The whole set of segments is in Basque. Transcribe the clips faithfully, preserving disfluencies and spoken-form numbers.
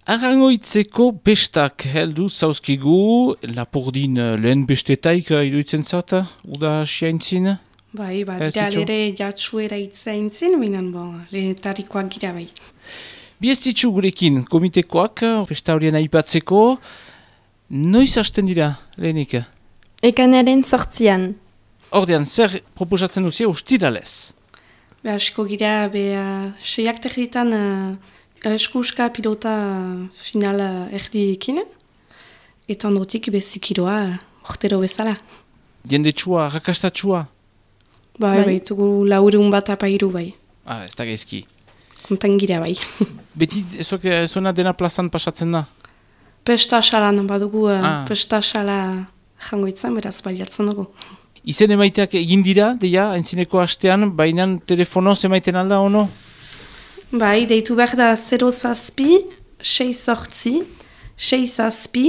Arrangoitzeko bestak heldu zauzkigu, Lapurdin lehen bestetaik iruditzen zata, uda asiaintzin? Bai, ba, dira lere jatsuera itzaintzin, binan bo, lehetarikoak gira bai. Biestitzu gurekin, komitekoak, besta horien aipatzeko, noiz hasten dira, lehenik? Ekanaren sortzian. Ordean, zer proposatzen duzia ustiralez? Be, asko gira, be, uh, seiak terditan uh, eskuska pilota finala erdiekin, eta ondotik bezikiroa urtero bezala. Jendetsua, rakastatsua? Bai, bai, tugu laurun bat apairu bai. Ah, ez da gaizki. Kontan gira bai. Beti, ezoak, zona dena plazan pasatzen da? Pesta salan, badugu uh, ah. pesta sala jangoitzan, beraz baliatzen dugu. Izen emaiteak egin dira, deia, entzineko hastean, baina telefonoz emaiten alda, ono? Bai, deitu behar da zero zazpi, sei sortzi, sei zazpi,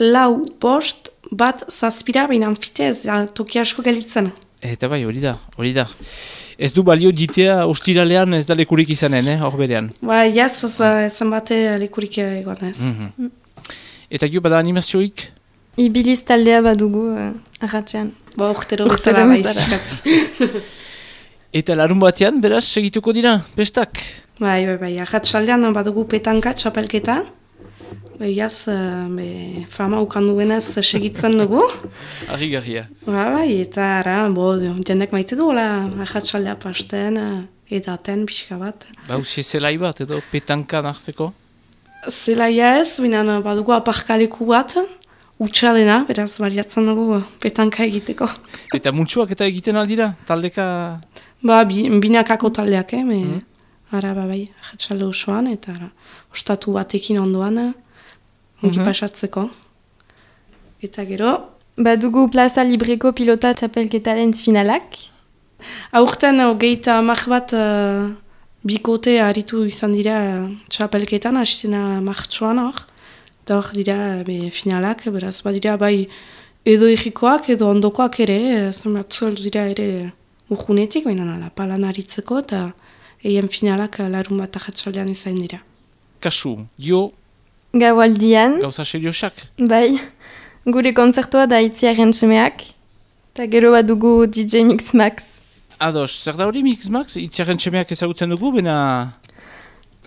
lau bost, bat zazpira, baina anfitez, toki asko galitzen. Eta bai, hori da, hori da. Ez du balio ditea ostiralean ez da lekurik izanen, eh, hor berean. Bai, jaz, ezan bate lekurik egon ez. Mm-hmm. Eta gio bada animazioik? Ibiliz taldea badugu uh, arratxean. Ba, urtero bezala bai. Eta larun batean, beraz, segituko dira, bestak? Bai, bai, bai, arratxaldean badugu petanka, txapelketa. Bai, jaz, be, fama ukandu benaz segitzen dugu. Arri-garria. Ba, bai, eta ara, bo, jendek maite du, arratxaldea pasten, edaten, pixka bat. Ba, usi zelai bat, edo petanka nartzeko? Zelaia ez, binan badugu aparkaleku bat, utxa dena, beraz, baliatzen dugu petanka egiteko. Eta muntxuak eta egiten aldira, taldeka? Ba, binakako taldeak, eh, me... Mm. Ara, ba, bai, jatsalde osoan, eta ara, ostatu batekin ondoan, ongi pasatzeko. Eta gero... Badugu plaza libreko pilota txapelketaren finalak. Aurten, hogeita amak bat uh, bikote aritu izan dira txapelketan, hastena martxoan hor. Eta hor dira be, finalak, beraz, badira bai edo egikoak, edo ondokoak ere, zemratzuel dira ere urgunetik, baina nala, palan aritzeko, eta... Eien finalak larun bat ahatxaldean izan dira. Kasu, jo... Gaualdian. Gauza seriosak. Bai, gure kontzertua da Itziaren semeak. Eta gero bat dugu D J Mix Max. Ados, zer da hori Mix Max? Itziaren semeak ezagutzen dugu, bena...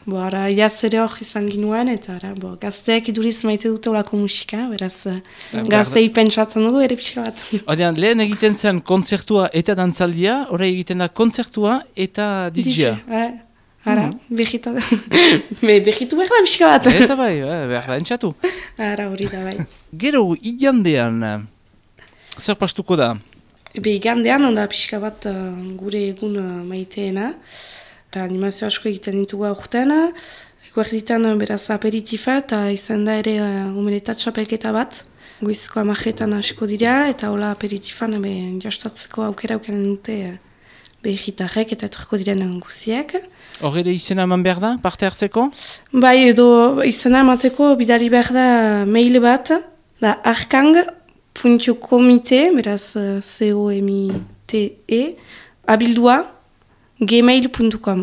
Bo, ara, jaz ere hor izan ginuen, eta ara, bo, gazteak iduriz maite dute olako musika, beraz, ba, gaztei pentsatzen dugu, ere pixka bat. Odean, lehen egiten zen kontzertua eta dantzaldia, orai egiten da kontzertua eta D J-a. D J, ara, mm. behita da. Be, behitu behar da pixka bat. Eta bai, behar da entxatu. Ara, hori da bai. Gero, igandean, zer pastuko da? Be, igandean, onda pixka bat uh, gure egun uh, maiteena. Eta animazio asko egiten ditugu aurten, eguerditan beraz aperitifa eta izan da ere uh, umenetat txapelketa bat. Goizeko amajetan asko dira eta hola aperitifan be, jastatzeko aukera auken dute uh, behitarrek eta etorko diren guziak. Hor ere izena eman behar da, parte hartzeko? Bai, edo izena emateko bidali behar da mail bat, da arkang puntu komite, beraz uh, C O M I T E, abildua, gmail puntu com.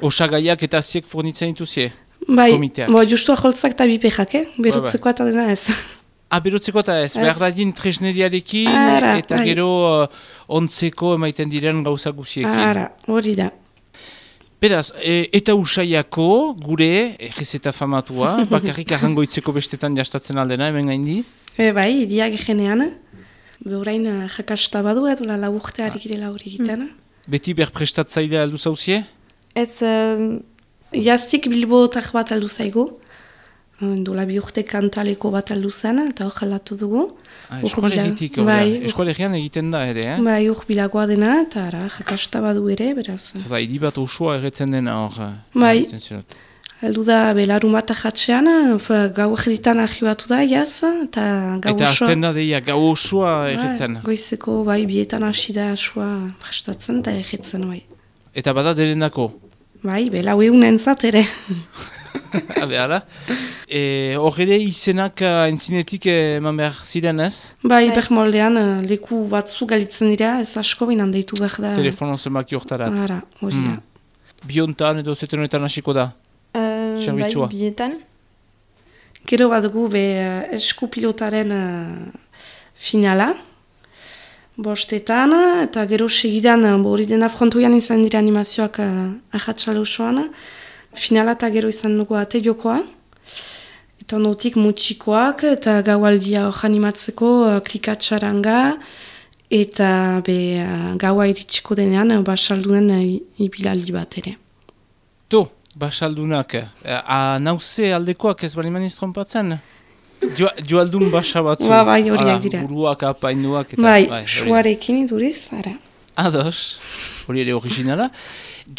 Osagaiak eta ziek fornitzen dituzie? Bai, komiteak. Bo, justu aholtzak eta bipejak, eh? Berotzeko eta dena ez. Ah, berotzeko eta ez, ez. Behar dadin tresneriarekin Ara, eta bai. Gero uh, ontzeko emaiten diren gauza guziekin. Ara, hori da. Beraz, e, eta usaiako gure, egizeta famatua, bakarrik arrangoitzeko bestetan jastatzen aldena, hemen gaindi? E, bai, idiak egenean. Behorain jakasta badu edo la laburte harikirela hori egiten. Mm. Beti berprestatzailea aldu zauzie? Ez... Uh... Jaztik bilbotak bat aldu zaigu. Dola bi urte kantaleko bat aldu zen, eta hor jalatu dugu. Ah, Eskualegitik, bai, eskualegian egiten da ere, eh? Bai, hor bilagoa dena, eta ara, jakasta badu ere, beraz. Zata, hidi bat osoa erretzen dena hor. Bai, aldu da belarun bat ajatzean, gau egeditan argibatu da, jaz, eta gau osoa... Eta hasten da deia, gau osoa erretzen. Bai, goizeko, bai, bietan hasi da osoa prestatzen, eta erretzen, bai. Eta bada derendako? Bai, belau eunen zat ere. Habe, ala. Hor ere izenak entzinetik eman behar ziren ez? Bai, behar moldean leku batzu galitzen dira, ez asko binan deitu behar da. Telefono zenbaki hortarat. Ara, hori da. Hmm. Biontan edo zeteronetan hasiko da? Uh, bai, bietan. Gero bat gu be uh, eskupilotaren uh, finala, bostetan, eta gero segidan, hori dena frontoian izan dira animazioak uh, ahatsale osoan, finala eta gero izan dugu ate jokoa, eta onotik mutxikoak, eta gaualdia hor animatzeko uh, klikatxaranga, eta be uh, gaua iritsiko denean, uh, basaldunen uh, ibilaldi bat ere. To, basaldunak, a nauze aldekoak ez bali maniz trompatzen? Jo, joaldun basa batzu. Ba, bai, horiak dira. Buruak, apainuak. Eta, bai, bai suarekin iduriz, ara. Ados, hori ere originala.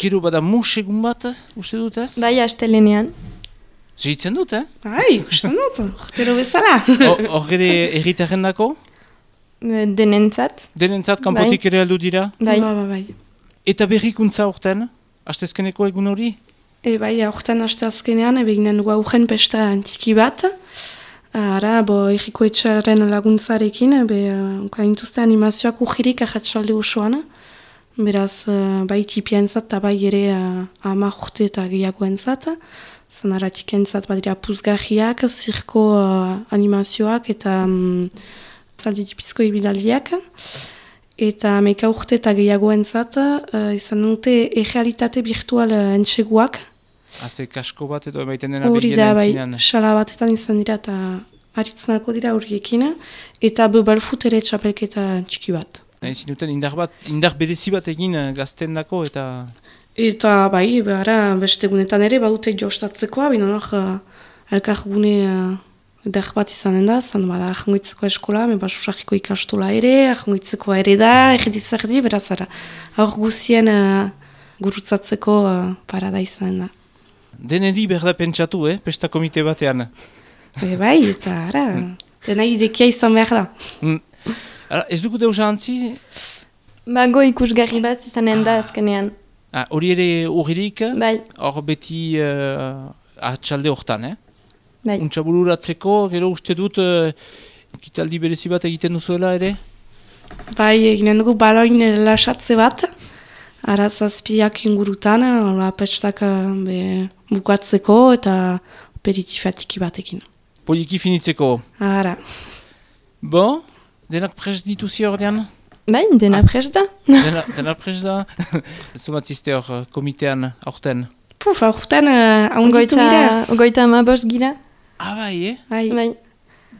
Gero bada musegun bat, uste dut ez? Bai, astelenean. Segitzen dut, eh? Bai, uste dut, urtero bezala. Hor ere erritaren dako? Denentzat. Denentzat, kanpotik bai. Ere aldu dira? Bai, ba, ba, bai. Eta berrikuntza horten? Astezkeneko egun hori? E bai, aurten aste azkenean, eginen dugu aurren pesta antiki bat. Ara, bo, erriko etxaren laguntzarekin, be, kaintuzte animazioak urgirik ahatsalde osoan. Beraz, bai tipientzat eta bai ere ama urte eta gehiagoentzat. Zan ara tikientzat badira puzgarriak, zirko uh, animazioak eta um, zaldi tipizko ibilaldiak. Eta meka urte eta gehiagoentzat, uh, izan dute errealitate virtual uh, entseguak. Haze kasko bat edo emaiten dena hori da, bai, entzinean. sala batetan izan dira eta aritzunako dira horiekin. Eta bebalfut ere txapelketa txiki bat. Ezin duten indar bat, indar berezi bat egin gazten dako eta... Eta bai, behara beste gunetan ere baute jostatzekoa, bina hor uh, elkar gune uh, edar bat izanen da, zan bada ahangoitzeko eskola, me basusarriko ikastola ere, ahangoitzeko ere da, erdi-zerdi, beraz ara. Hor guzien uh, gurutzatzeko uh, parada izanen da. Deneri berda pentsatu, eh? Pesta komite batean. E, bai, eta ara, dena idekia izan behar da. Mm. Ara, ez dugu deusa antzi? Bago ikusgarri bat izanen da azkenean. Ah, hori ere urririk? Bai. Hor beti uh, atxalde hortan, eh? Bai. Untxa bururatzeko, gero uste dut, uh, kitaldi berezi bat egiten duzuela ere? Bai, eginen dugu baloin lasatze bat. Ara zazpiak ingurutan, hola pestak be, bukatzeko eta aperitifatiki batekin. Poliki finitzeko. Ara. Bo, denak prest dituzi ordean? Bai, dena prest da. Dena, dena prest da? Zumatzizte hor komitean aurten? Puf, aurten uh, haunditu gira. Ogoita ama bost gira. Ah, bai, eh? Bai. Bai.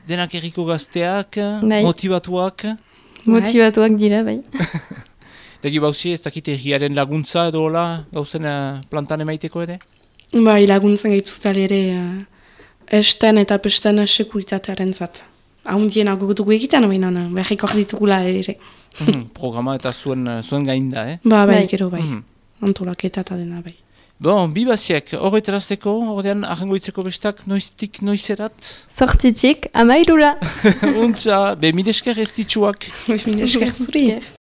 Denak erriko gazteak, bai. Motivatuak. Motivatuak dira, bai. Dagi bauzi ez dakit erriaren laguntza edo hola, gauzen uh, plantan emaiteko ere? Bai, laguntzen gaituzte ere uh, esten eta pesten sekuritatearen zat. Haundien agogutuko egiten, baina behiko ditugula ere. Mm, programa eta zuen, zuen gainda, eh? Ba, bai, bai. gero bai. Mm. Antolaketa eta dena bai. Bon, bi baziek, horretarazteko, ordean ahangoitzeko bestak noiztik noizerat? Sortzitik, amairura. Untza, be milesker ez ditxuak. Mil esker zuri.